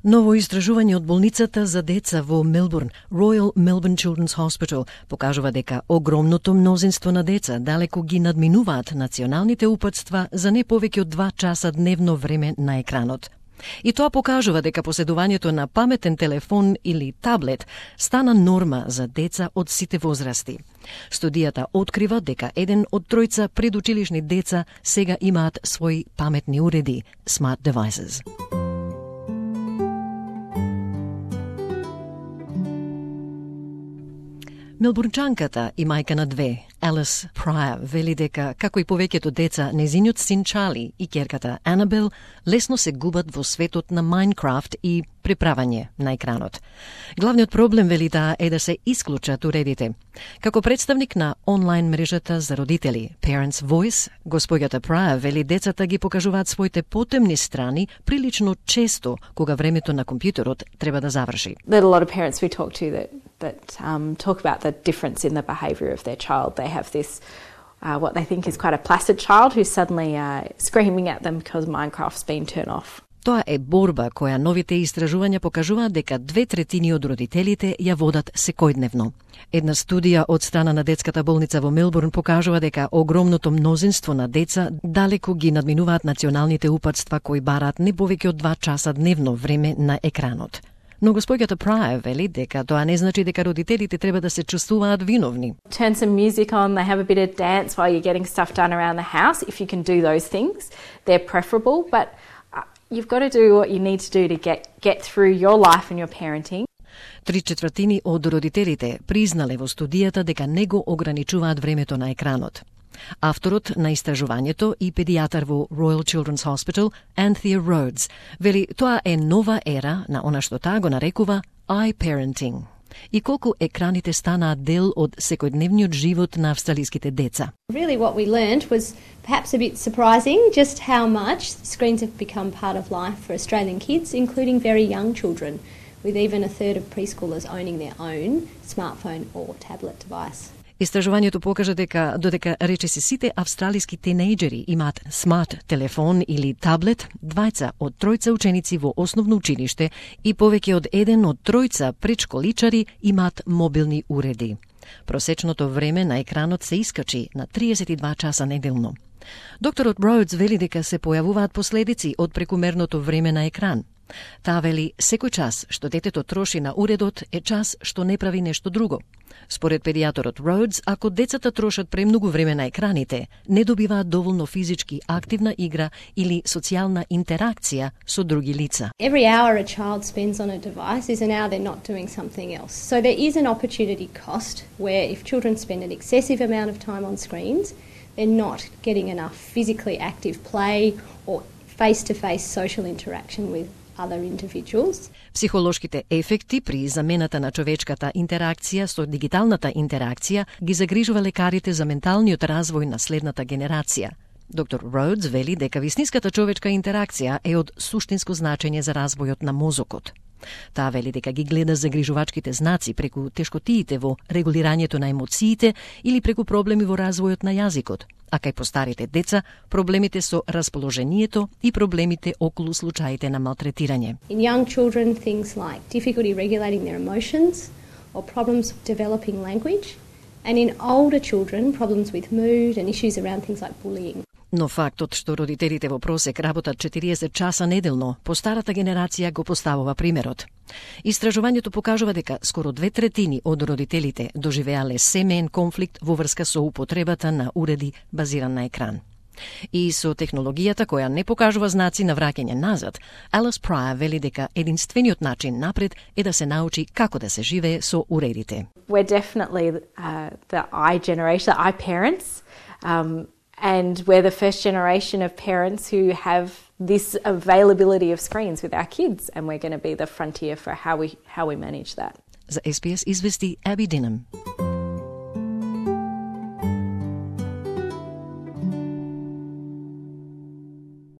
Ново истражување од болницата за деца во Мелбурн, Royal Melbourne Children's Hospital, покажува дека огромното мнозинство на деца далеко ги надминуваат националните упатства за не повеќе од 2 часа дневно време на екранот. И тоа покажува дека поседувањето на паметен телефон или таблет стана норма за деца од сите возрасти. Студијата открива дека 1 од 3 предучилишни деца сега имаат своји паметни уреди, smart devices. Мелбурнчанката и мајка на 2, Алис Прайер, вели дека, како и повеќето деца, незиниот син Чарли и ќерката Анабел лесно се губат во светот на Майнкрафт и преправање на екранот. Главниот проблем, вели таа, е да се исклучат уредите. Како представник на онлайн мрежата за родители, Parents Voice, господјата Прайер вели децата ги покажуваат своите потемни страни прилично често кога времето на компјутерот треба да заврши. There are a lot of parents we talk to that talk about the difference in the behaviour of their child. They have this, what they think is quite a placid child who's suddenly screaming at them because Minecraft's been turned off. Тоа е борба која новите истражувања покажуваат дека 2/3 од родителите ја водат секојдневно. Една студија од страна на детската болница во Мелбурн покажува дека огромното мнозинство на деца далеко ги надминуваат националните упатства кои бараат не повеќе од 2 часа дневно време на екранот. Но господјата Прайер вели дека тоа не значи дека родителите треба да се чувствуваат виновни. Turn some music on, they have a bit of dance while you're getting stuff done around the house. If you can do those things, they're preferable, but you've got to do what you need to do to get through your life and your parenting. 3/4 од родителите признале во студијата дека не го ограничуваат времето на екранот. Авторот на истражувањето и педијатар во Royal Children's Hospital, Anthea Rhodes, вели тоа е нова ера на она што таа го нарекува iParenting. И колку екраните станаат дел од секојдневниот живот на австралиските деца. Really what we learned was perhaps a bit surprising just how much screens have become part of life for Australian kids, including very young children, with even a third of preschoolers owning their own smartphone or tablet device. Истражувањето покажа дека додека речиси сите австралиски тинејџери имаат смарт телефон или таблет, 2 од 3 ученици во основно училиште и повеќе од 1 од 3 предшколичари имаат мобилни уреди. Просечното време на екранот се искачи на 32 часа неделно. Докторот Роудс вели дека се појавуваат последици од прекумерното време на екран. Таа вели секој час што детето троши на уредот е час што не прави нешто друго. Според педијаторот Роудс, ако децата трошат премногу време на екраните, не добиваат доволно физички активна игра или социјална интеракција со други лица. Every hour a child spends on a device is an hour they're not doing something else. So there is an opportunity cost where if children spend an excessive amount of time on screens, they're not getting enough physically active play or face-to-face social interaction with other individuals. Психолошките ефекти при замената на човечката интеракција со дигиталната интеракција ги загрижува лекарите за менталниот развој на следната генерација. Доктор Роудс вели дека вистинската човечка интеракција е од суштинско значење за развојот на мозокот. Таа вели дека ги гледа загрижувачките знаци преку тешкотиите во регулирањето на емоциите или преку проблеми во развојот на јазикот, а кај постарите деца проблемите со расположението и проблемите околу случаите на малтретирање. In young children, things like difficulty regulating their emotions or problems developing language, and in older children, problems with mood and issues around things like bullying. Но фактот што родителите во просек работат 40 часа неделно, по старата генерација го поставува примерот. Истражувањето покажува дека скоро 2/3 од родителите доживеале семеен конфликт во врска со употребата на уреди базиран на екран. И со технологијата која не покажува знаци на враќање назад, Алис Прайер вели дека единствениот начин напред е да се научи како да се живее со уредите. We're definitely the I generation, the I parents, and we're the first generation of parents who have this availability of screens with our kids, and we're going to be the frontier for how we manage that. За SBS извести Абби Динам.